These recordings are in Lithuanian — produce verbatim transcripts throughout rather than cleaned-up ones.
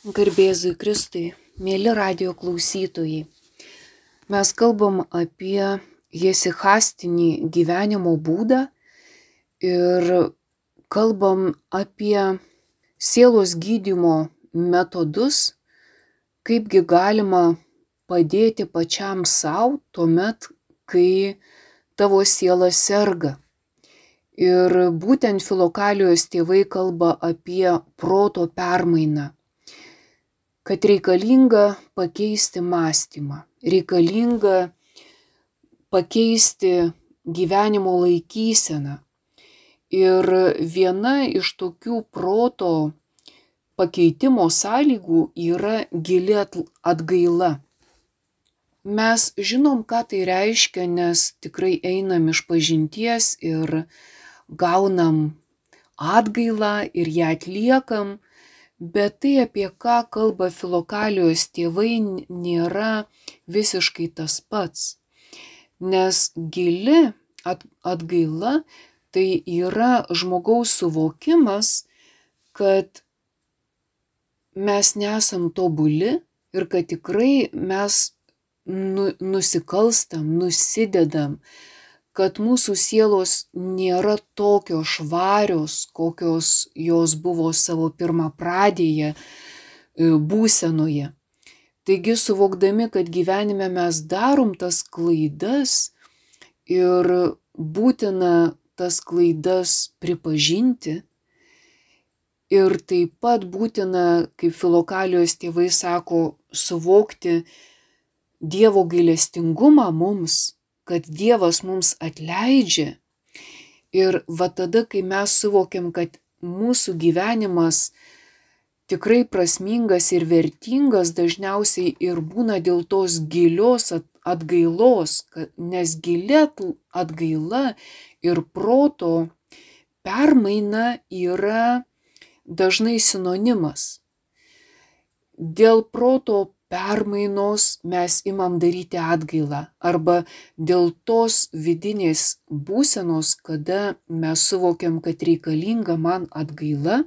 Garbėzui Kristui, mėly radijo klausytojai, mes kalbam apie jesihastinį gyvenimo būdą ir kalbam apie sielos gydymo metodus, kaipgi galima padėti pačiam savo tuomet, kai tavo siela serga. Ir būtent Filokalijos tėvai kalba apie proto permainą, kad reikalinga pakeisti mąstymą, reikalinga pakeisti gyvenimo laikyseną. Ir viena iš tokių proto pakeitimo sąlygų yra gili atgaila. Mes žinom, ką tai reiškia, nes tikrai einam iš pažinties ir gaunam atgailą ir ją atliekam, bet tai, apie ką kalba Filokalijos tėvai, nėra visiškai tas pats. Nes gili atgaila tai yra žmogaus suvokimas, kad mes nesam tobuli ir kad tikrai mes nu, nusikalstam, nusidedam, kad mūsų sielos nėra tokios švarios, kokios jos buvo savo pirmapradėje būsenoje. Taigi, suvokdami, kad gyvenime mes darom tas klaidas ir būtina tas klaidas pripažinti, ir taip pat būtina, kaip Filokalijos tėvai sako, suvokti Dievo gailestingumą mums, kad Dievas mums atleidžia. Ir va tada, kai mes suvokiam, kad mūsų gyvenimas tikrai prasmingas ir vertingas, dažniausiai ir būna dėl tos gilios atgailos, nes gili atgaila ir proto permaina yra dažnai sinonimas. Dėl proto permainos mes imam daryti atgailą arba dėl tos vidinės būsenos, kada mes suvokiam, kad reikalinga man atgaila,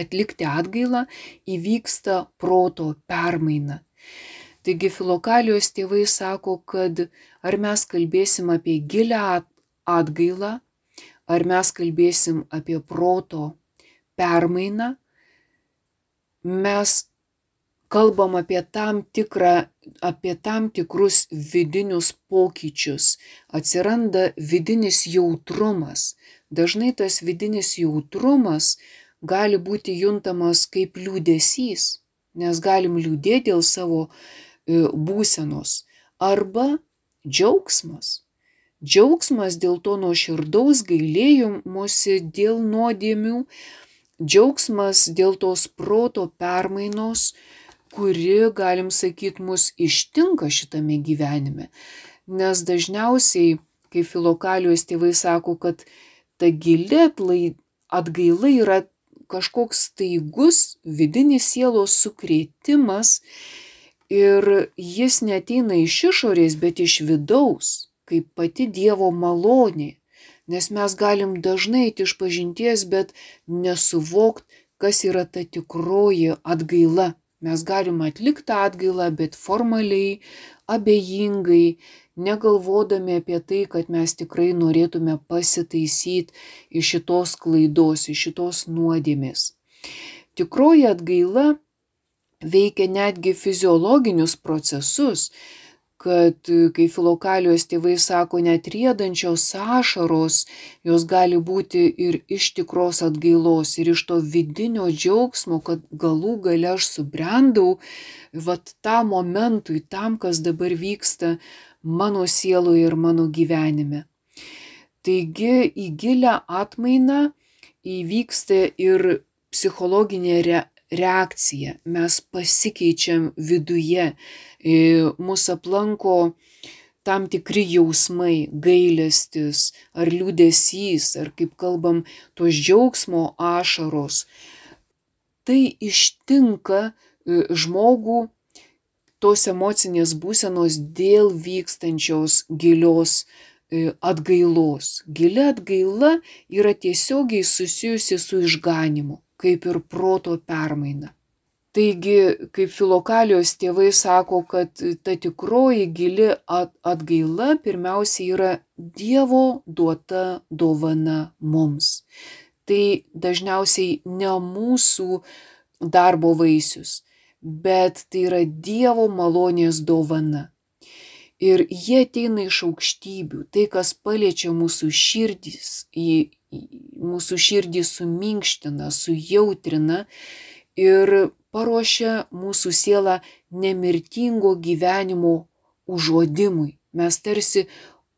atlikti atgailą, įvyksta proto permaina. Taigi Filokalijos tėvai sako, kad ar mes kalbėsim apie gilią atgailą, ar mes kalbėsim apie proto permainą, mes kalbam apie tam tikrą, apie tam tikrus vidinius pokyčius. Atsiranda vidinis jautrumas. Dažnai tas vidinis jautrumas gali būti juntamas kaip liūdesys, nes galim liūdėti dėl savo būsenos. Arba džiaugsmas. Džiaugsmas dėl to nuoširdaus gailėjimosi dėl nuodėmių, džiaugsmas dėl tos proto permainos, kuri, galim sakyti, mus ištinka šitame gyvenime. Nes dažniausiai, kai Filokalijos tėvai sako, kad ta gili atgaila yra kažkoks staigus vidinis sielos sukrėtimas ir jis neateina iš išorės, bet iš vidaus, kaip pati Dievo malonė. Nes mes galim dažnai eiti iš pažinties, bet nesuvokt, kas yra ta tikroji atgaila. Mes galim atlikti atgailą, bet formaliai, abejingai, negalvodami apie tai, kad mes tikrai norėtume pasitaisyti iš šitos klaidos, iš šitos nuodėmės. Tikroji atgaila veikia netgi fiziologinius procesus, kad, kai Filokalijos tėvai sako, net riedančios ašaros, jos gali būti ir iš tikros atgailos, ir iš to vidinio džiaugsmo, kad galų gale aš subrendau, vat tam momentui, tam, kas dabar vyksta mano sieloje ir mano gyvenime. Taigi į gilią atmainą įvyksta ir psichologinė re reakcija. Mes pasikeičiam viduje, mūsų aplanko tam tikri jausmai, gailestis ar liūdesys, ar kaip kalbam, tos džiaugsmo ašaros. Tai ištinka žmogų tos emocinės būsenos dėl vykstančios gilios atgailos. Gili atgaila yra tiesiogiai susijusi su išganymu, kaip ir proto permaina. Taigi, kaip Filokalijos tėvai sako, kad ta tikroji gili atgaila pirmiausia yra Dievo duota dovana mums. Tai dažniausiai ne mūsų darbo vaisius, bet tai yra Dievo malonės dovana. Ir jie ateina iš aukštybių, tai kas paliečia mūsų širdis, į, į, mūsų širdį suminkština, sujautrina ir paruošia mūsų sielą nemirtingo gyvenimo užuodimui. Mes tarsi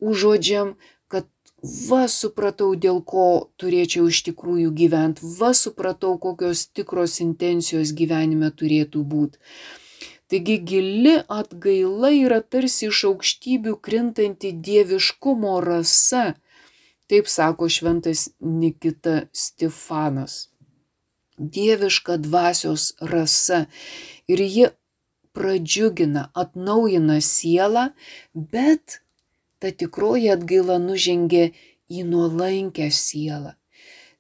užuodžiam, kad va supratau, dėl ko turėčiau iš tikrųjų gyventi, va supratau, kokios tikros intencijos gyvenime turėtų būti. Taigi gili atgaila yra tarsi iš aukštybių krintanti dieviškumo rasa, taip sako šventas Nikita Stefanas. Dieviška dvasios rasa ir ji pradžiugina, atnaujina sielą, bet ta tikroji atgaila nužengia į nuolankę sielą.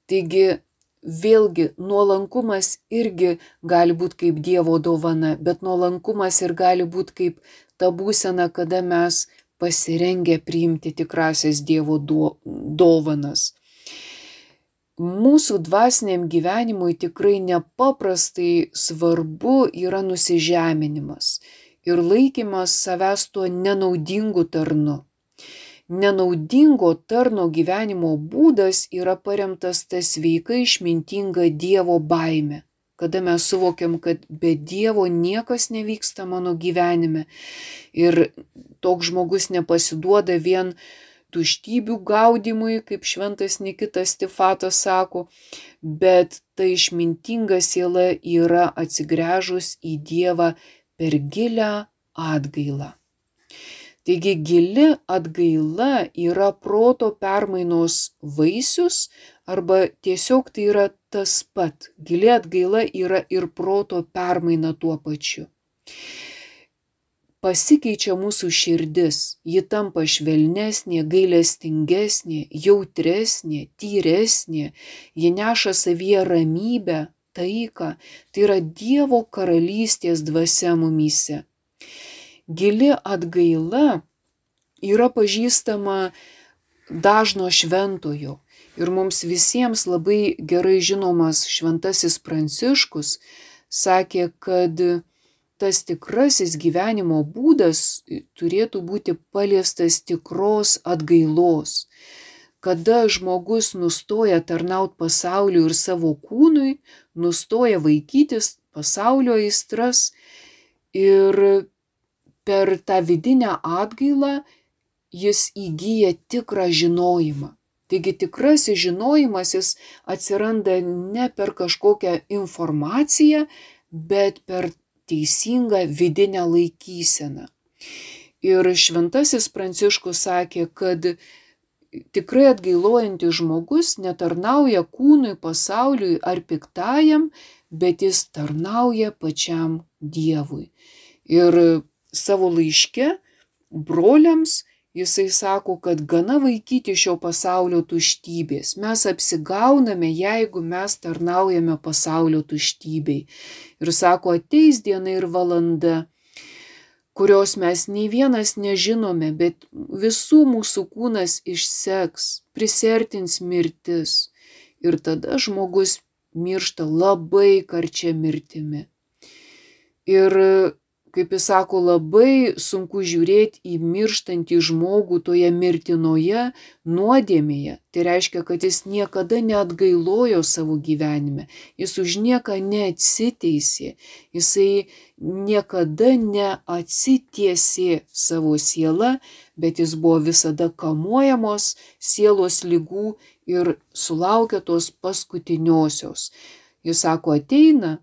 Taigi vėlgi nuolankumas irgi gali būti kaip Dievo dovana, bet nuolankumas ir gali būti kaip ta būsena, kada mes pasirengę priimti tikrasias Dievo dovanas. Mūsų dvasiniam gyvenimui tikrai nepaprastai svarbu yra nusižeminimas ir laikymas savęs tuo nenaudingu tarnu. Nenaudingo tarno gyvenimo būdas yra paremtas ta sveika išmintinga Dievo baime, kada mes suvokiam, kad be Dievo niekas nevyksta mano gyvenime ir toks žmogus nepasiduoda vien tuštybių gaudimui, kaip šventas Nikitas Stefanas sako, bet ta išmintinga siela yra atsigręžus į Dievą per gilią atgailą. Taigi gili atgaila yra proto permainos vaisius arba tiesiog tai yra tas pat. Gili atgaila yra ir proto permaina tuo pačiu. Pasikeičia mūsų širdis, ji tampa švelnesnė, gailestingesnė, jautresnė, tyresnė, ji neša savyje ramybę, taiką, tai yra Dievo karalystės dvasia mumyse. Gili atgaila yra pažįstama dažno šventojo ir mums visiems labai gerai žinomas šventasis Pranciškus sakė, kad tas tikrasis gyvenimo būdas turėtų būti paliestas tikros atgailos, kada žmogus nustoja tarnauti pasauliui ir savo kūnui, nustoja vaikytis pasaulio aistras ir per tą vidinę atgailą jis įgyja tikrą žinojimą. Taigi tikrasis žinojimas jis atsiranda ne per kažkokią informaciją, bet per teisingą vidinę laikyseną. Ir šventasis Pranciškus sakė, kad tikrai atgailojantis žmogus netarnauja kūnui, pasauliui ar piktajam, bet jis tarnauja pačiam Dievui. Ir savo laiške broliams jisai sako, kad gana vaikyti šio pasaulio tuštybės. Mes apsigauname, jeigu mes tarnaujame pasaulio tuštybei. Ir sako, ateis diena ir valanda, kurios mes nei vienas nežinome, bet visų mūsų kūnas išseks, prisertins mirtis. Ir tada žmogus miršta labai karčia mirtimi. Ir kaip jis sako, labai sunku žiūrėti į mirštantį žmogų toje mirtinoje nuodėmėje. Tai reiškia, kad jis niekada neatgailojo savo gyvenime, jis už nieką neatsiteisė, jisai niekada neatsitiesė savo sielą, bet jis buvo visada kamuojamos sielos ligų ir sulaukė tos paskutiniosios. Jis sako, ateina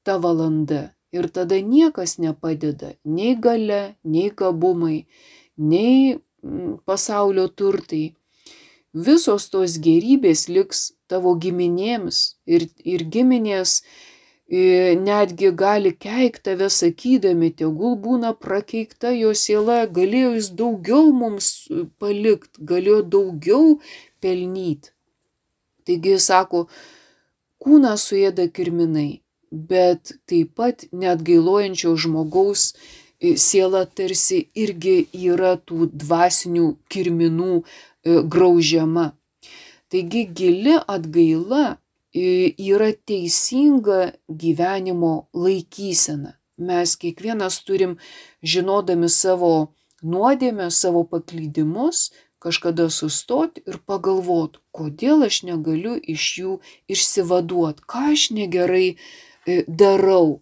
ta valanda. Ir tada niekas nepadeda, nei galia, nei gabumai, nei pasaulio turtai. Visos tos gerybės liks tavo giminėms ir, ir giminės netgi gali keikt tave sakydami, tegul būna prakeikta jo siela, galėjo jis daugiau mums palikt, galėjo daugiau pelnyt. Taigi jis sako, kūną suėda kirminai, bet taip pat neatgailojančio žmogaus siela tarsi irgi yra tų dvasinių kirminų graužiama. Taigi gili atgaila yra teisinga gyvenimo laikysena. Mes kiekvienas turim, žinodami savo nuodėmę, savo paklydimus, kažkada sustoti ir pagalvoti, kodėl aš negaliu iš jų išsivaduoti, ką aš negerai darau.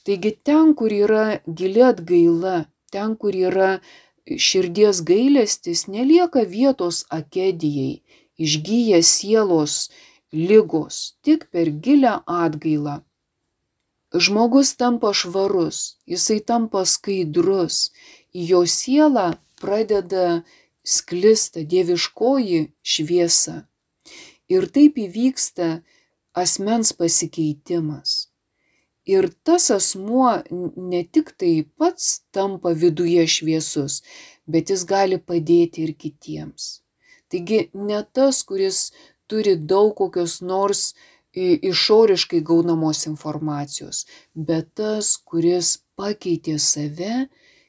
Taigi ten, kur yra gili atgaila, ten, kur yra širdies gailestis, nelieka vietos akedijai, išgyja sielos ligos, tik per gilią atgailą. Žmogus tampa švarus, jisai tampa skaidrus, į jo sielą pradeda sklista dieviškoji šviesa. Ir taip įvyksta asmens pasikeitimas. Ir tas asmuo ne tik tai pats tampa viduje šviesus, bet jis gali padėti ir kitiems. Taigi ne tas, kuris turi daug kokios nors išoriškai gaunamos informacijos, bet tas, kuris pakeitė save,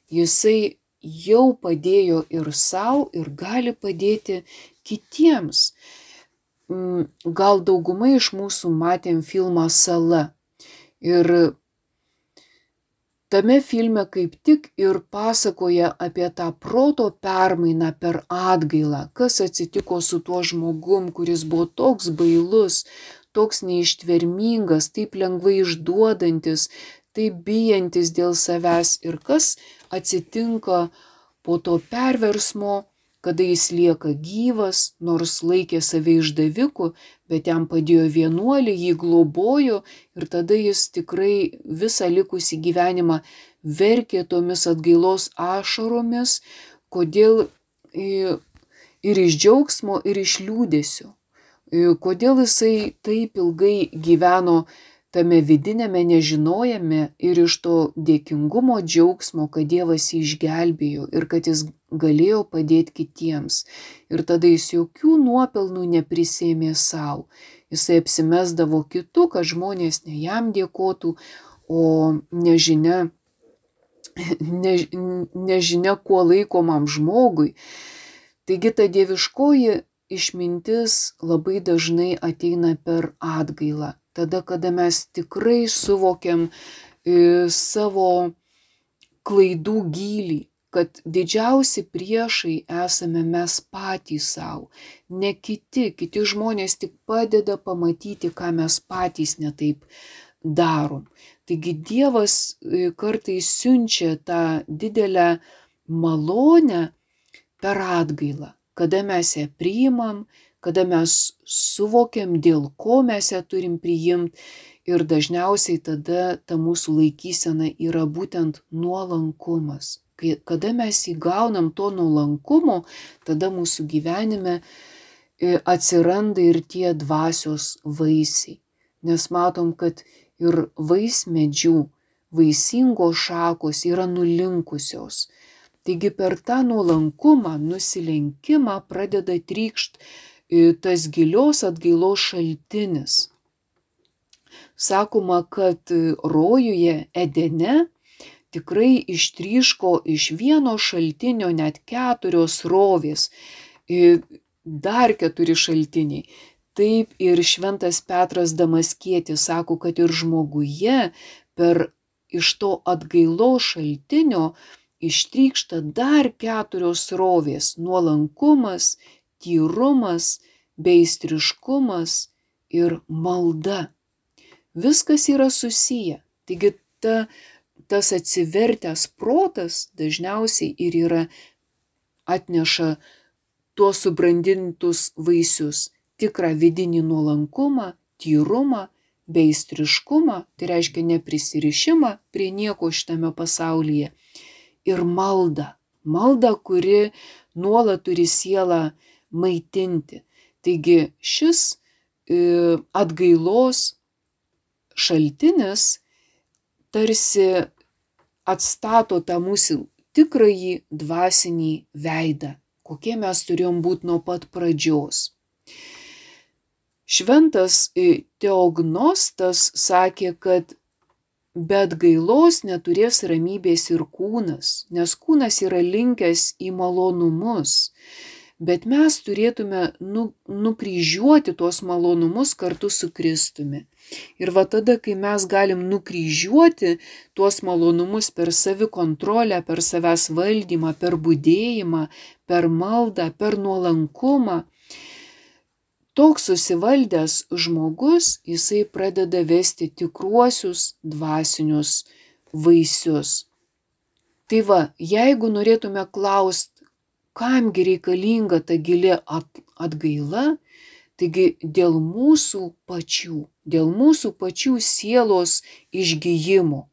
jisai jau padėjo ir sau, ir gali padėti kitiems. Gal daugumai iš mūsų matėm filmą Sala. Ir tame filme kaip tik ir pasakoja apie tą proto permainą per atgailą, kas atsitiko su tuo žmogum, kuris buvo toks bailus, toks neištvermingas, taip lengvai išduodantis, taip bijantis dėl savęs ir kas atsitinka po to perversmo, kada jis lieka gyvas, nors laikė save išdaviku, bet jam padėjo vienuolį, jį globojo ir tada jis tikrai visą likusį gyvenimą verkė tomis atgailos ašaromis, kodėl ir iš džiaugsmo, ir iš liūdesio. Kodėl jisai taip ilgai gyveno tame vidinėme nežinojame ir iš to dėkingumo džiaugsmo, kad Dievas jį išgelbėjo ir kad jis galėjo padėti kitiems. Ir tada jis jokių nuopelnų neprisėmė savo. Jisai apsimesdavo kitų, kad žmonės ne jam dėkotų, o nežinia, ne, nežinia kuo laikomam žmogui. Taigi ta dieviškoji išmintis labai dažnai ateina per atgailą. Tada, kada mes tikrai suvokiam e, savo klaidų gylį, kad didžiausi priešai esame mes patys savo, ne kiti, kiti žmonės tik padeda pamatyti, ką mes patys netaip darom. Taigi Dievas kartais siunčia tą didelę malonę per atgailą, kada mes ją priimam, kada mes suvokiam, dėl ko mes ją turim priimti ir dažniausiai tada ta mūsų laikysena yra būtent nuolankumas. Kada mes įgaunam to nuolankumo, tada mūsų gyvenime atsiranda ir tie dvasios vaisiai. Nes matom, kad ir vaismedžių, vaisingos šakos yra nulinkusios. Taigi per tą nuolankumą, nusilenkimą pradeda trykšt tas gilios atgailos šaltinis. Sakoma, kad rojuje Edene tikrai ištryško iš vieno šaltinio net keturios srovės, dar keturi šaltiniai. Taip ir šventas Petras Damaskietis sako, kad ir žmoguje per iš to atgailos šaltinio ištrykšta dar keturios srovės – nuolankumas, tyrumas, beistriškumas ir malda. Viskas yra susiję. Taigi ta, tas atsivertęs protas dažniausiai ir yra atneša tuos subrandintus vaisius. Tikrą vidinį nuolankumą, tyrumą, beistriškumą, tai reiškia neprisirišimą prie nieko šitame pasaulyje. Ir malda. Malda, kuri nuolat turi sielą maitinti. Taigi šis e, atgailos šaltinis tarsi atstato tą mūsų tikrąjį dvasinį veidą, kokie mes turėjom būti nuo pat pradžios. Šventas Teognostas sakė, kad be atgailos neturės ramybės ir kūnas, nes kūnas yra linkęs į malonumus. Bet mes turėtume nu, nukryžiuoti tuos malonumus kartu su Kristumi. Ir va tada, kai mes galim nukryžiuoti tuos malonumus per savikontrolę, per savęs valdymą, per budėjimą, per maldą, per nuolankumą, toks susivaldęs žmogus, jisai pradeda vesti tikruosius dvasinius vaisius. Tai va, jeigu norėtume klausti, kamgi reikalinga ta gili atgaila, taigi dėl mūsų pačių, dėl mūsų pačių sielos išgijimo.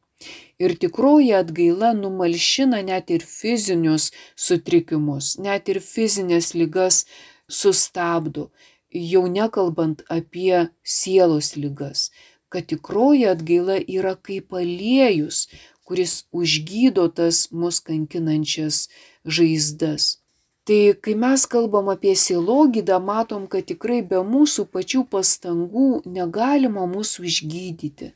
Ir tikroji atgaila numalšina net ir fizinius sutrikimus, net ir fizinės ligas sustabdo, jau nekalbant apie sielos ligas, kad tikroji atgaila yra kaip aliejus, kuris užgydo tas mus kankinančias žaizdas. Tai kai mes kalbam apie sielogydą, matom, kad tikrai be mūsų pačių pastangų negalima mūsų išgydyti.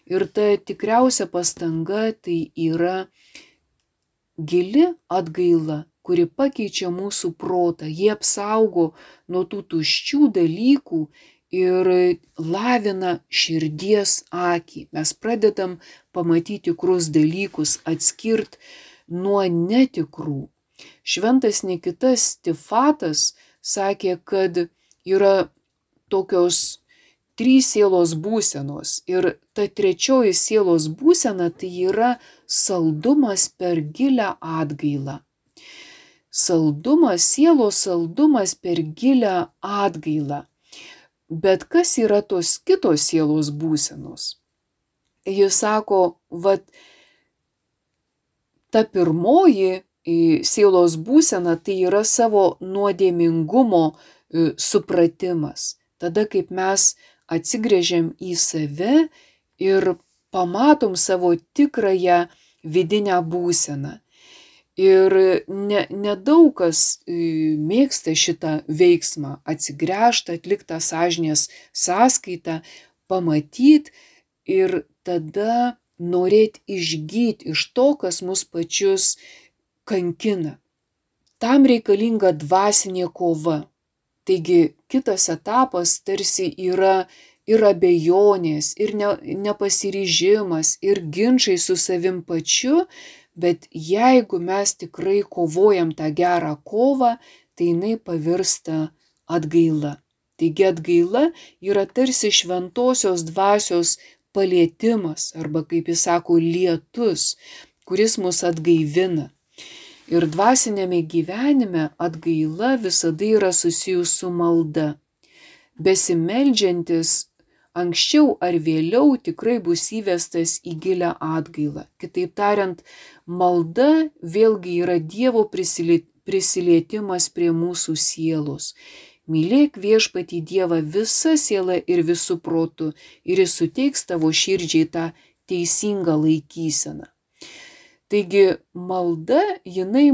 Ir ta tikriausia pastanga tai yra gili atgaila, kuri pakeičia mūsų protą, jie apsaugo nuo tų tuščių dalykų ir lavina širdies akį. Mes pradedam pamatyti tikrus dalykus, atskirt nuo netikrų. Šventas Nikitas Tifatas sakė, kad yra tokios trys sielos būsenos ir ta trečioji sielos būsena tai yra saldumas per gilią atgailą. Saldumas, sielos saldumas per gilią atgailą. Bet kas yra tos kitos sielos būsenos? Jis sako, vat ta pirmoji sielos būsena tai yra savo nuodėmingumo supratimas. Tada, kaip mes atsigręžiam į save ir pamatom savo tikrąją vidinę būseną. Ir ne, nedaug kas mėgsta šitą veiksmą atsigręžti, atlikti tą sąžinės sąskaitą, pamatyti ir tada norėti išgyti iš to, kas mus pačius kankina. Tam reikalinga dvasinė kova. Taigi kitas etapas tarsi yra ir abejonės, ir ne, nepasiryžimas, ir ginčai su savim pačiu, bet jeigu mes tikrai kovojam tą gerą kovą, tai jinai pavirsta atgaila. Taigi atgaila yra tarsi šventosios dvasios palietimas, arba kaip jis sako, lietus, kuris mus atgaivina. Ir dvasinėme gyvenime atgaila visada yra susijus su malda. Besimeldžiantis anksčiau ar vėliau tikrai bus įvestas į gilią atgailą. Kitaip tariant, malda vėlgi yra Dievo prisilietimas prie mūsų sielos. Mylėk viešpatį Dievą visa siela ir visų protu ir jis suteiks tavo širdžiai tą teisingą laikyseną. Taigi malda, jinai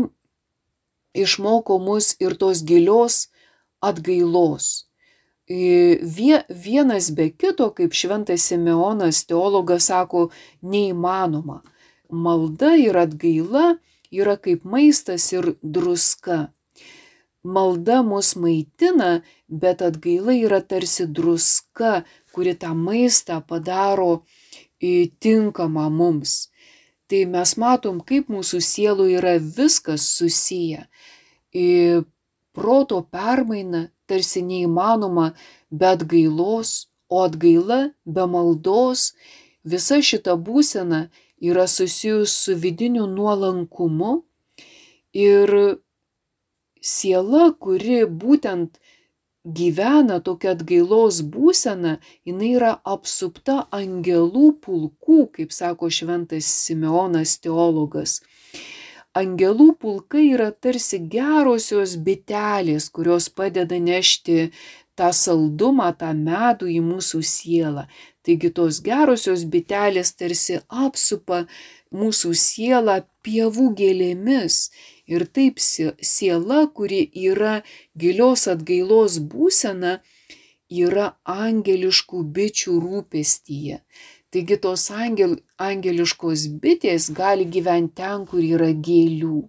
išmoko mus ir tos gilios atgailos. Vienas be kito, kaip šventas Simeonas teologas sako, neįmanoma. Malda ir atgaila yra kaip maistas ir druska. Malda mus maitina, bet atgaila yra tarsi druska, kuri tą maistą padaro tinkamą mums. Tai mes matom, kaip mūsų sielų yra viskas susiję. Proto permaina tarsi neįmanoma be atgailos, o atgaila be maldos. Visa šita būsena yra susijus su vidiniu nuolankumu ir siela, kuri būtent gyvena tokia atgailos būsena, jinai yra apsupta angelų pulkų, kaip sako šventas Simeonas teologas. Angelų pulkai yra tarsi gerosios bitelės, kurios padeda nešti tą saldumą, tą medų į mūsų sielą. Taigi tos gerosios bitelės tarsi apsupa mūsų sielą pievų gėlėmis. Ir taip siela, kuri yra gilios atgailos būsena, yra angeliškų bičių rūpestyje. Taigi tos angel, angeliškos bitės gali gyventi ten, kur yra gėlių.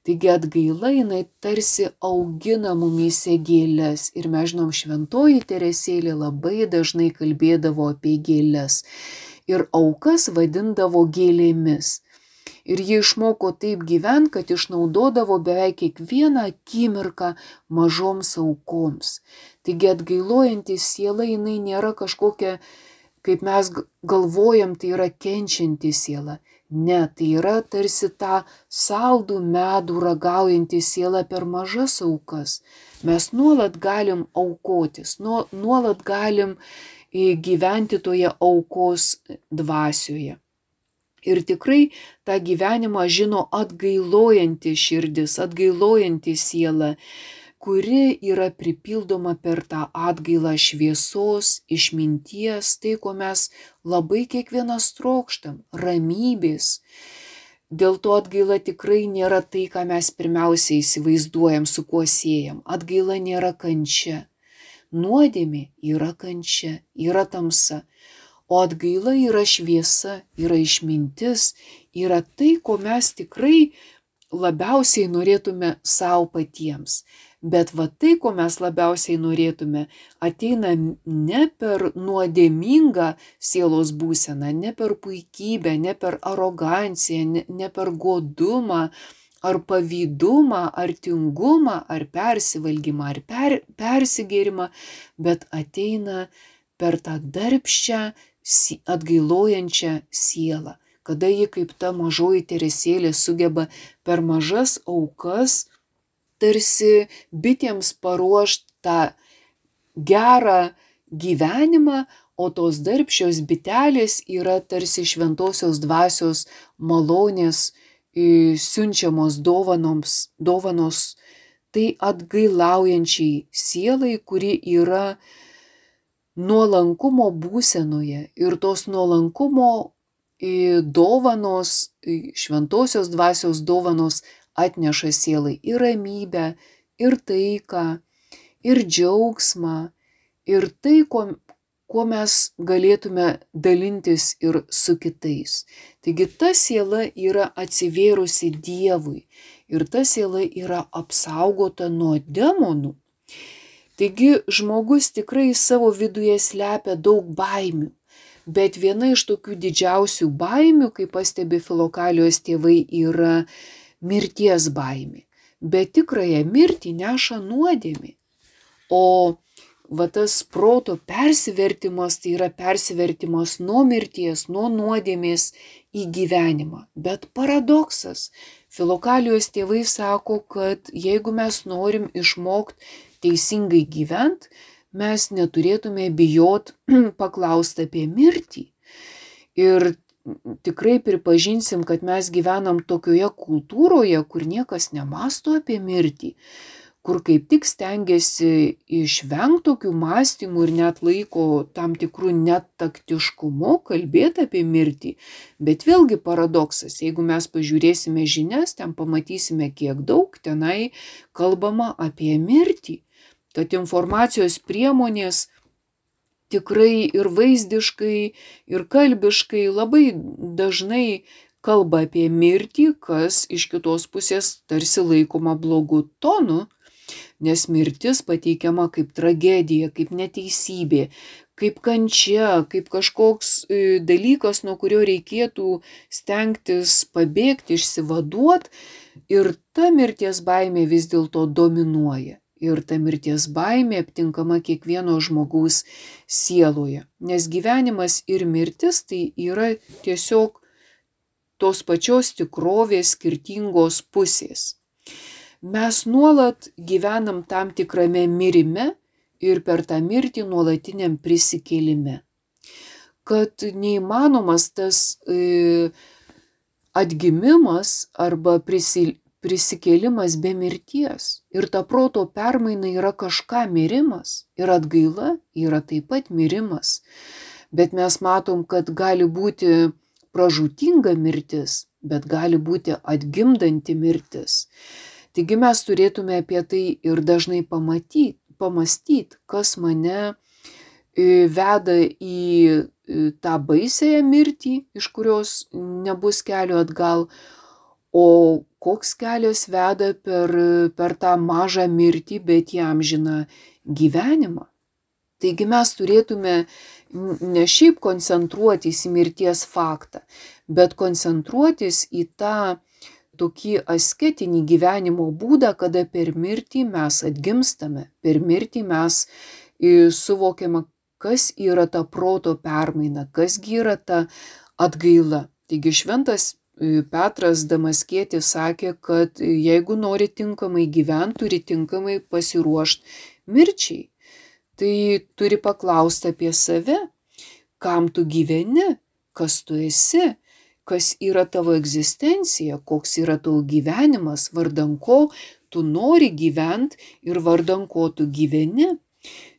Taigi atgaila jinai tarsi augina mumyse gėles. Ir mes žinom, šventoji Teresėlė labai dažnai kalbėdavo apie gėles. Ir aukas vadindavo gėlėmis. Ir ji išmoko taip gyventi, kad išnaudodavo beveik kiekvieną akimirką mažoms aukoms. Taigi atgailojanti siela jinai nėra kažkokia, kaip mes galvojam, tai yra kenčianti siela. Ne, tai yra tarsi tą saldų medų ragaujanti siela per mažas aukas. Mes nuolat galim aukotis, nuolat galim gyventi toje aukos dvasioje. Ir tikrai tą gyvenimą žino atgailojanti širdis, atgailojanti siela, kuri yra pripildoma per tą atgailą šviesos, išminties, tai, ko mes labai kiekvienas trokštam, ramybės. Dėl to atgaila tikrai nėra tai, ką mes pirmiausiai įsivaizduojam, su kuo siejam. Atgaila nėra kančia. Nuodėmė yra kančia, yra tamsa. O atgaila yra šviesa, yra išmintis, yra tai, ko mes tikrai labiausiai norėtume savo patiems. Bet va tai, ko mes labiausiai norėtume, ateina ne per nuodėmingą sielos būseną, ne per puikybę, ne per aroganciją, ne, ne per godumą, ar pavydumą, ar tingumą, ar persivalgymą, ar per, persigėrimą, bet ateina per tą darbščią, atgailojančią sielą, kada ji kaip ta mažoji Teresėlė sugeba per mažas aukas tarsi bitėms paruošti tą gerą gyvenimą, o tos darbščios bitelės yra tarsi šventosios dvasios malonės siunčiamos dovanoms, dovanos tai atgailaujančiai sielai, kuri yra nuolankumo būsenoje. Ir tos nuolankumo dovanos, šventosios dvasios dovanos atneša sielai ir ramybę, ir taiką, ir džiaugsmą, ir tai, ko, kuo mes galėtume dalintis ir su kitais. Taigi ta siela yra atsivėrusi Dievui ir ta siela yra apsaugota nuo demonų. Taigi žmogus tikrai savo viduje slepia daug baimių, bet viena iš tokių didžiausių baimių, kaip pastebi Filokalijos tėvai, yra mirties baimė. Bet tikrąją mirtį neša nuodėmė. O va tas proto persivertimas, tai yra persivertimas nuo mirties, nuo nuodėmės į gyvenimą. Bet paradoksas. Filokalijos tėvai sako, kad jeigu mes norim išmokti teisingai gyventi, mes neturėtume bijot paklausti apie mirtį. Ir tikrai pripažinsim, kad mes gyvenam tokioje kultūroje, kur niekas nemasto apie mirtį, kur kaip tik stengiasi išvengti tokių mąstymų ir net laiko tam tikrų netaktiškumu kalbėti apie mirtį. Bet vėlgi paradoksas, jeigu mes pažiūrėsime žinias, ten pamatysime, kiek daug tenai kalbama apie mirtį. Tad informacijos priemonės tikrai ir vaizdiškai, ir kalbiškai labai dažnai kalba apie mirtį, kas iš kitos pusės tarsi laikoma blogu tonu, nes mirtis pateikiama kaip tragedija, kaip neteisybė, kaip kančia, kaip kažkoks dalykas, nuo kurio reikėtų stengtis pabėgti, išsivaduoti, ir ta mirties baimė vis dėlto dominuoja. Ir ta mirties baimė aptinkama kiekvieno žmogaus sieloje. Nes gyvenimas ir mirtis tai yra tiesiog tos pačios tikrovės skirtingos pusės. Mes nuolat gyvenam tam tikrame mirime ir per tą mirtį nuolatiniam prisikėlime. Kad neįmanomas tas e, atgimimas arba prisil, prisikėlimas be mirties. Ir ta proto permaina yra kažką mirimas. Ir atgaila yra taip pat mirimas. Bet mes matom, kad gali būti pražūtinga mirtis, bet gali būti atgimdanti mirtis. Taigi mes turėtume apie tai ir dažnai pamatyti, pamastyti, kas mane veda į tą baisiąją mirtį, iš kurios nebus kelio atgal, o koks kelias veda per, per tą mažą mirtį, bet į amžiną gyvenimą. Taigi mes turėtume ne šiaip koncentruotis į mirties faktą, bet koncentruotis į tą tokį asketinį gyvenimo būdą, kada per mirtį mes atgimstame, per mirtį mes suvokiame, kas yra ta proto permaina, kasgi yra ta atgaila. Taigi šventas Petras Damaskietis sakė, kad jeigu nori tinkamai gyventi, turi tinkamai pasiruošti mirčiai. Tai turi paklausti apie save, kam tu gyveni, kas tu esi, kas yra tavo egzistencija, koks yra tavo gyvenimas, vardan ko tu nori gyventi ir vardan ko tu gyveni.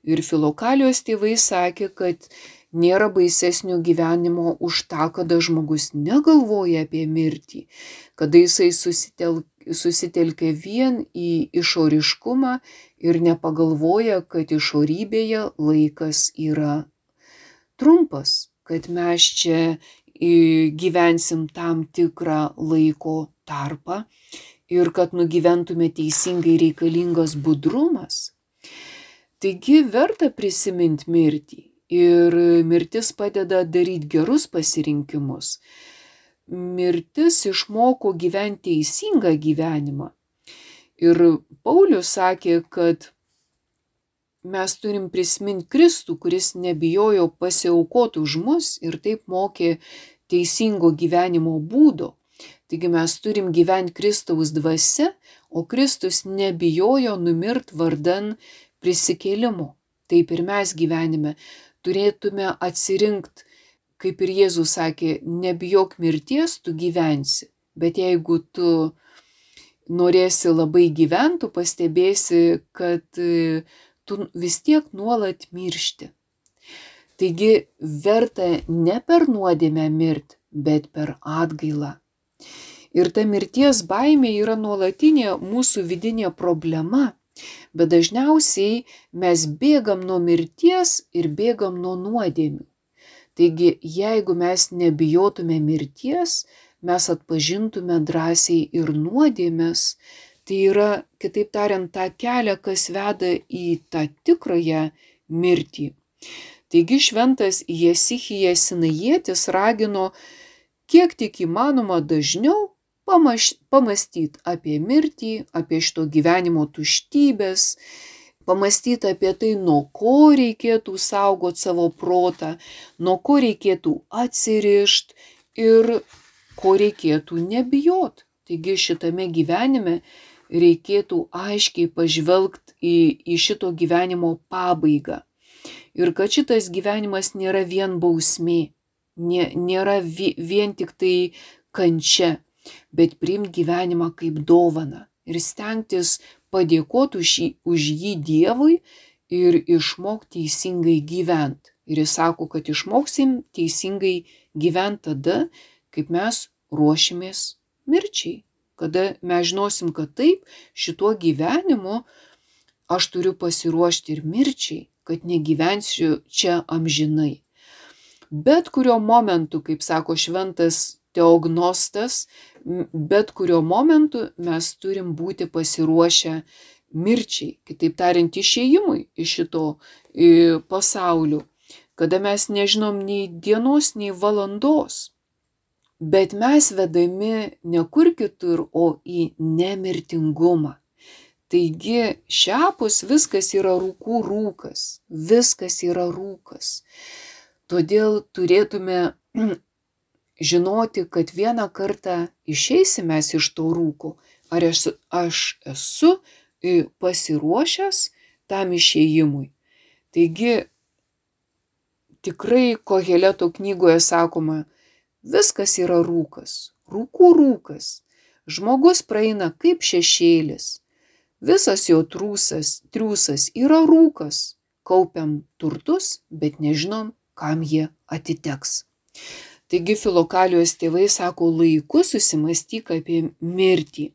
Ir Filokalijos tėvai sakė, kad nėra baisesnio gyvenimo už tą, kada žmogus negalvoja apie mirtį, kada jisai susitel, susitelkia vien į išoriškumą ir nepagalvoja, kad išorybėje laikas yra trumpas, kad mes čia gyvensim tam tikrą laiko tarpą ir kad nugyventume teisingai reikalingas budrumas. Taigi verta prisiminti mirtį ir mirtis padeda daryti gerus pasirinkimus. Mirtis išmoko gyventi teisingą gyvenimą. Ir Paulius sakė, kad mes turim prisiminti Kristų, kuris nebijojo pasiaukoti už mus ir taip mokė teisingo gyvenimo būdo. Taigi mes turim gyventi Kristaus dvasia, o Kristus nebijojo numirt vardan prisikėlimo. Taip ir mes gyvenime turėtume atsirinkti, kaip ir Jėzus sakė, nebijok mirties, tu gyvensi. Bet jeigu tu norėsi labai gyventi, tu pastebėsi, kad tu vis tiek nuolat miršti. Taigi verta ne per nuodėmę mirti, bet per atgailą. Ir ta mirties baimė yra nuolatinė mūsų vidinė problema. Bet dažniausiai mes bėgam nuo mirties ir bėgam nuo nuodėmių. Taigi, jeigu mes nebijotume mirties, mes atpažintume drąsiai ir nuodėmes, tai yra, kitaip tariant, tą kelią, kas veda į tą tikrąją mirtį. Taigi šventas Jesichijas Sinajietis ragino, kiek tik įmanoma dažniau, pamastyti apie mirtį, apie šito gyvenimo tuštybės, pamastyti apie tai, nuo ko reikėtų saugoti savo protą, nuo ko reikėtų atsirišti ir ko reikėtų nebijoti. Taigi šitame gyvenime reikėtų aiškiai pažvelgti į, į šito gyvenimo pabaigą. Ir kad šitas gyvenimas nėra vien bausmė, nėra vien tik tai kančia, bet priimti gyvenimą kaip dovaną ir stengtis padėkoti už jį, už jį Dievui ir išmokti teisingai gyventi. Ir jis sako, kad išmoksim teisingai gyventi tada, kaip mes ruošimės mirčiai. Kada mes žinosim, kad taip, šituo gyvenimu aš turiu pasiruošti ir mirčiai, kad negyvensiu čia amžinai. Bet kurio momentu, kaip sako šventas Teognostas, bet kurio momentu mes turim būti pasiruošę mirčiai, kitaip tariant, išėjimui iš šito pasaulio, kada mes nežinom nei dienos, nei valandos, bet mes vedami ne kur kitur, o į nemirtingumą. Taigi šiapus viskas yra rūkų rūkas, viskas yra rūkas. Todėl turėtume žinoti, kad vieną kartą išeisime iš to rūko, ar aš, aš esu pasiruošęs tam išėjimui. Taigi tikrai Koheleto knygoje sakoma, viskas yra rūkas, rūkų rūkas. Žmogus praeina kaip šešėlis, visas jo trūsas, triūsas yra rūkas, kaupiam turtus, bet nežinom, kam jie atiteks. Taigi Filokalijos tėvai sako, laiku susimastyk apie mirtį.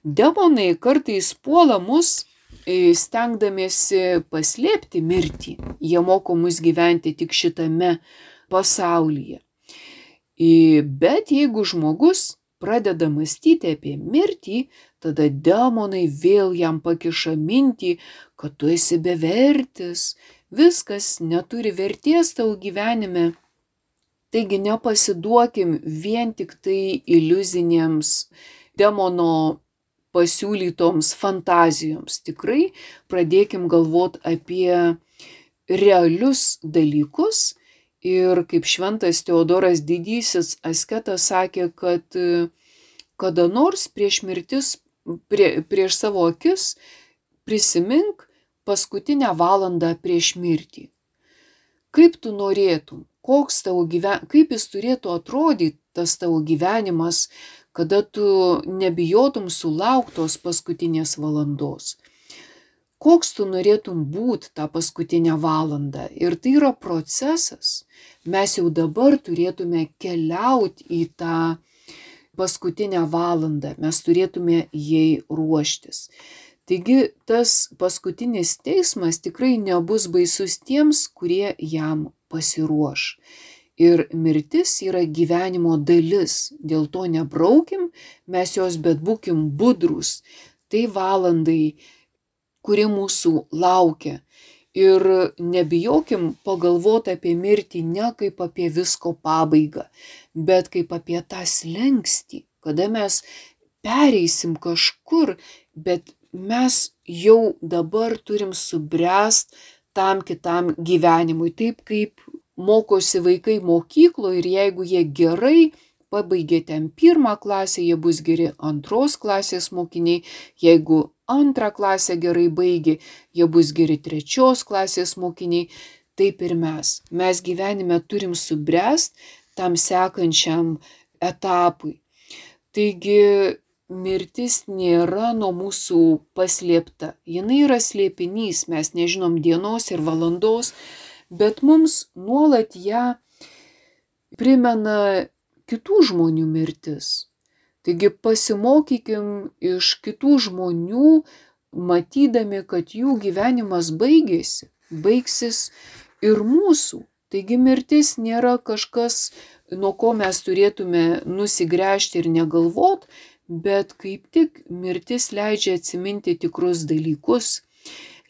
Demonai kartais puola mus stengdamiesi paslėpti mirtį, jie moko mus gyventi tik šitame pasaulyje. Bet jeigu žmogus pradeda mąstyti apie mirtį, tada demonai vėl jam pakiša mintį, kad tu esi bevertis, viskas neturi vertės tavo gyvenime. Taigi nepasiduokim vien tik tai iliuzinėms demono pasiūlytoms fantazijoms. Tikrai pradėkim galvoti apie realius dalykus. Ir kaip šventas Teodoras Didysis asketas sakė, kad kada nors prieš mirtis, prie, prieš savo akis prisimink paskutinę valandą prieš mirtį. Kaip tu norėtum, koks tavo gyven... kaip jis turėtų atrodyti tas tavo gyvenimas, kada tu nebijotum sulauktos paskutinės valandos. Koks tu norėtum būti tą paskutinę valandą. Ir tai yra procesas. Mes jau dabar turėtume keliauti į tą paskutinę valandą. Mes turėtume jai ruoštis. Taigi tas paskutinis teismas tikrai nebus baisus tiems, kurie jam pasiruoš. Ir mirtis yra gyvenimo dalis. Dėl to nebraukim mes jos, bet būkim budrus. Tai valandai, kuri mūsų laukia. Ir nebijokim pagalvoti apie mirtį ne kaip apie visko pabaigą, bet kaip apie tą slenkstį, kada mes pereisim kažkur, bet mes jau dabar turim subręst tam kitam gyvenimui. Taip kaip mokosi vaikai mokykloje ir jeigu jie gerai pabaigė ten pirmą klasę, jie bus geri antros klasės mokiniai, jeigu antrą klasę gerai baigė, jie bus geri trečios klasės mokiniai, taip ir mes. Mes gyvenime turim subręst tam sekančiam etapui. Taigi mirtis nėra nuo mūsų paslėpta. Jinai yra slėpinys, mes nežinom dienos ir valandos, bet mums nuolat ją primena kitų žmonių mirtis. Taigi pasimokykim iš kitų žmonių, matydami, kad jų gyvenimas baigėsi, baigsis ir mūsų. Taigi mirtis nėra kažkas, nuo ko mes turėtume nusigręžti ir negalvot, bet kaip tik mirtis leidžia atsiminti tikrus dalykus,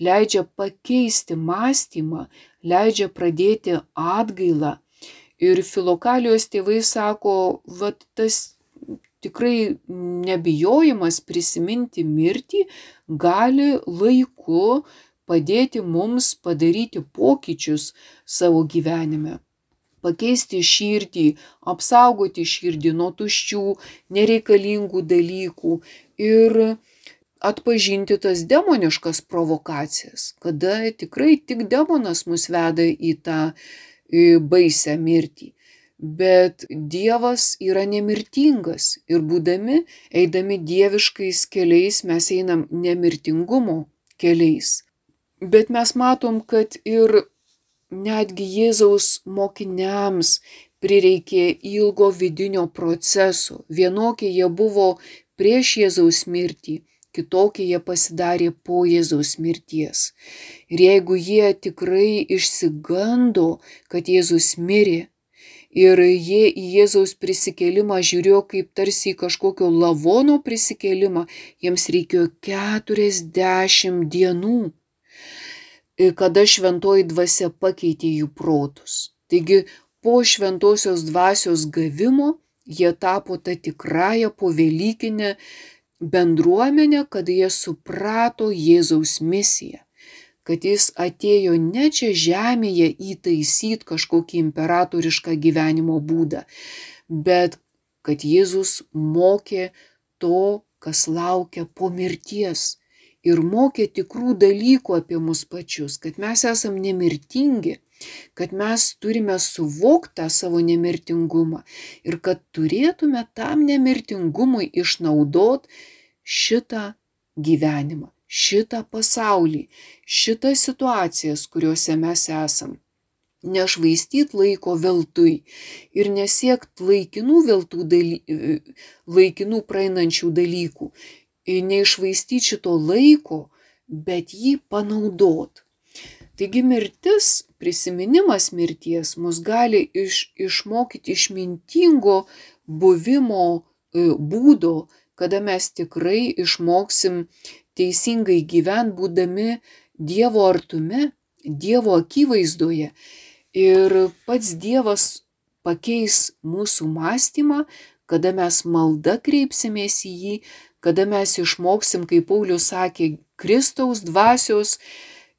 leidžia pakeisti mąstymą, leidžia pradėti atgailą. Ir Filokalijos tėvai sako, vat tas tikrai nebijojimas prisiminti mirtį gali laiku padėti mums padaryti pokyčius savo gyvenime. Pakeisti širdį, apsaugoti širdį nuo tuščių, nereikalingų dalykų ir atpažinti tas demoniškas provokacijas, kada tikrai tik demonas mus veda į tą baisią mirtį. Bet Dievas yra nemirtingas ir būdami, eidami dieviškais keliais, mes einam nemirtingumo keliais. Bet mes matom, kad ir netgi Jėzaus mokiniams prireikė ilgo vidinio proceso. Vienokie jie buvo prieš Jėzaus mirtį, kitokie jie pasidarė po Jėzaus mirties. Ir jeigu jie tikrai išsigando, kad Jėzus mirė, ir jie į Jėzaus prisikėlimą žiūrėjo kaip tarsi į kažkokio lavono prisikėlimą, jiems reikėjo keturiasdešimt dienų, kada šventoji dvasia pakeitė jų protus. Taigi po šventosios dvasios gavimo jie tapo tą tikrąją povelykinę bendruomenę, kada jie suprato Jėzaus misiją, kad jis atėjo ne čia žemėje įtaisyti kažkokį imperatorišką gyvenimo būdą, bet kad Jėzus mokė to, kas laukia po mirties ir mokė tikrų dalykų apie mus pačius, kad mes esam nemirtingi, kad mes turime suvokti tą savo nemirtingumą ir kad turėtume tam nemirtingumui išnaudot šitą gyvenimą, šitą pasaulį, šitas situacijas, kuriuose mes esam. Nešvaistyt laiko veltui ir nesiekt laikinų, veltų daly... laikinų praeinančių dalykų. Neišvaistyti šito laiko bet jį panaudot. Taigi mirtis, prisiminimas mirties mus gali iš, išmokyti išmintingo buvimo e, būdo, kada mes tikrai išmoksim teisingai gyvent, būdami Dievo artume, Dievo akivaizdoje. Ir pats Dievas pakeis mūsų mąstymą, kada mes malda kreipsimės į jį, kada mes išmoksim, kaip Paulius sakė, Kristaus dvasios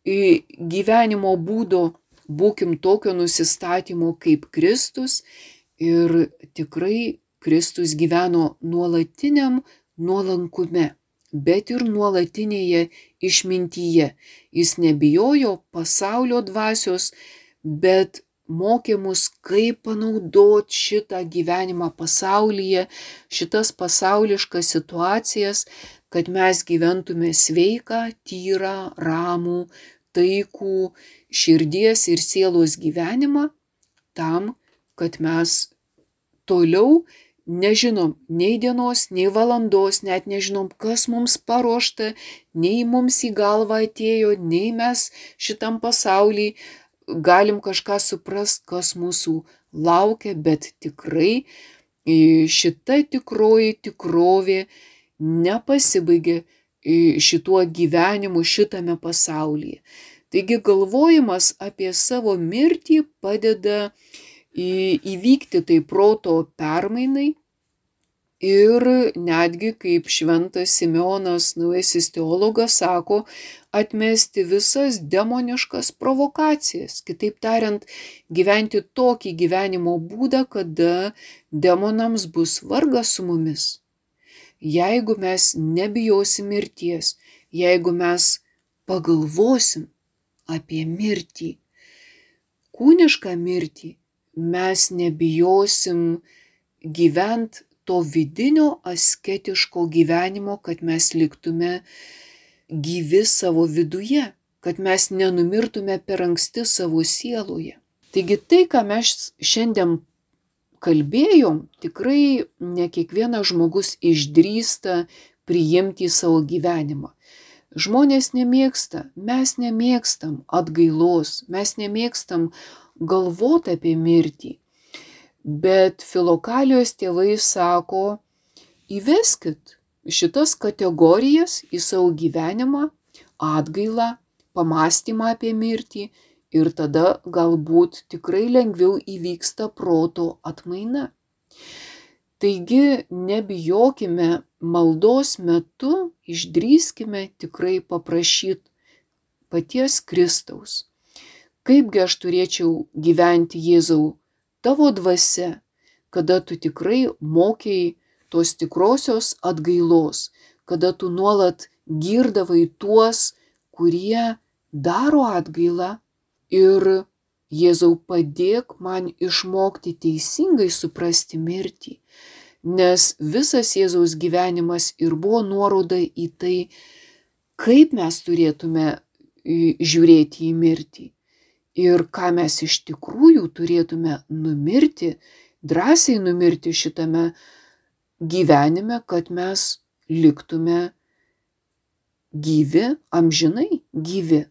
gyvenimo būdo, būkim tokio nusistatymo kaip Kristus. Ir tikrai Kristus gyveno nuolatiniam nuolankume, bet ir nuolatinėje išmintyje. Jis nebijojo pasaulio dvasios, bet mokė mus, kaip panaudot šitą gyvenimą pasaulyje, šitas pasauliškas situacijas, kad mes gyventume sveiką, tyrą, ramų, taikų širdies ir sielos gyvenimą, tam, kad mes toliau nežinom nei dienos, nei valandos, net nežinom, kas mums paruošta, nei mums į galvą atėjo, nei mes šitam pasauly galim kažką suprast, kas mūsų laukia, bet tikrai šita tikroji tikrovė nepasibaigė šituo gyvenimu šitame pasaulyje. Taigi galvojimas apie savo mirtį padeda įvykti tai proto permainai ir netgi, kaip šventas Simeonas, naujasis teologas, sako, atmesti visas demoniškas provokacijas. Kitaip tariant, gyventi tokį gyvenimo būdą, kada demonams bus vargas su mumis. Jeigu mes nebijosim mirties, jeigu mes pagalvosim apie mirtį, kūnišką mirtį, mes nebijosim gyvent to vidinio asketiško gyvenimo, kad mes liktume gyvi savo viduje, kad mes nenumirtume per anksti savo sieloje. Taigi tai, ką mes šiandien kalbėjom, tikrai ne kiekvienas žmogus išdrįsta priimti į savo gyvenimą. Žmonės nemėgsta, mes nemėgstam atgailos, mes nemėgstam galvoti apie mirtį. Bet Filokalijos tėvai sako, įveskit šitas kategorijas į savo gyvenimą, atgailą, pamąstymą apie mirtį, ir tada galbūt tikrai lengviau įvyksta proto atmaina. Taigi nebijokime maldos metu, išdrįskime tikrai paprašyti paties Kristaus. Kaipgi aš turėčiau gyventi, Jėzau, tavo dvasia, kada tu tikrai mokėjai tos tikrosios atgailos, kada tu nuolat girdavai tuos, kurie daro atgailą. Ir Jėzau, padėk man išmokti teisingai suprasti mirtį, nes visas Jėzaus gyvenimas ir buvo nuoroda į tai, kaip mes turėtume žiūrėti į mirtį ir ką mes iš tikrųjų turėtume numirti, drąsiai numirti šitame gyvenime, kad mes liktume gyvi, amžinai gyvi.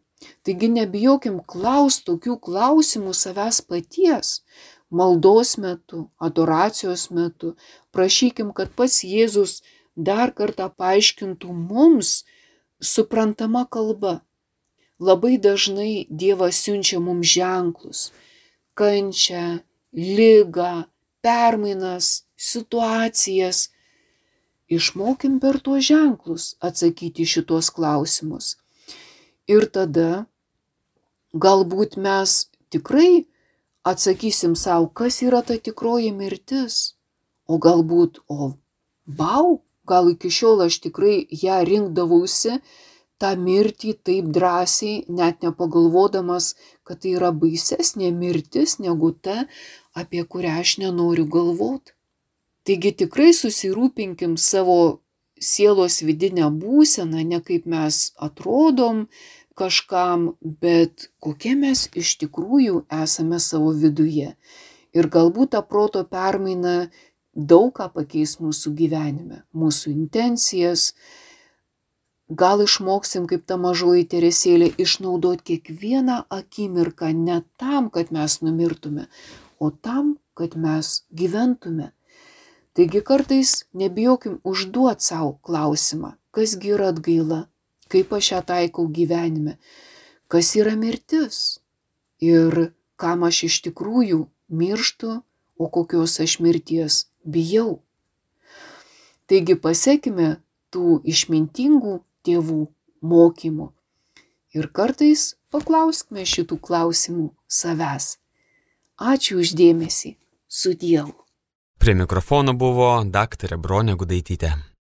Taigi nebijokim klausti tokių klausimų savęs paties, maldos metu, adoracijos metu. Prašykim, kad pats Jėzus dar kartą paaiškintų mums suprantama kalba. Labai dažnai Dievas siunčia mums ženklus, kančią, ligą, permainas, situacijas. Išmokim per tuos ženklus atsakyti šitos klausimus. Ir tada galbūt mes tikrai atsakysim savo, kas yra ta tikroji mirtis. O galbūt, o bau, gal iki šiol aš tikrai ją rinkdavausi, tą mirtį taip drąsiai, net nepagalvodamas, kad tai yra baisesnė mirtis negu ta, apie kurią aš nenoriu galvoti. Taigi tikrai susirūpinkim savo sielos vidinę būseną, ne kaip mes atrodom kažkam, bet kokie mes iš tikrųjų esame savo viduje. Ir galbūt ta proto permaina daug ką pakeis mūsų gyvenime, mūsų intencijas, Gal išmoksim, kaip ta mažoji Teresėlė, išnaudoti kiekvieną akimirką ne tam, kad mes numirtume, o tam, kad mes gyventume. Taigi kartais nebijokim užduoti savo klausimą, kasgi yra atgaila, kaip aš ją taikau gyvenime, kas yra mirtis ir kam aš iš tikrųjų mirštu, o kokios aš mirties bijau. Taigi pasekime tų išmintingų tėvų mokymų ir kartais paklauskime šitų klausimų savęs. Ačiū už dėmesį. Su Dievu. Prie mikrofono buvo daktarė Bronė Gudaitytė.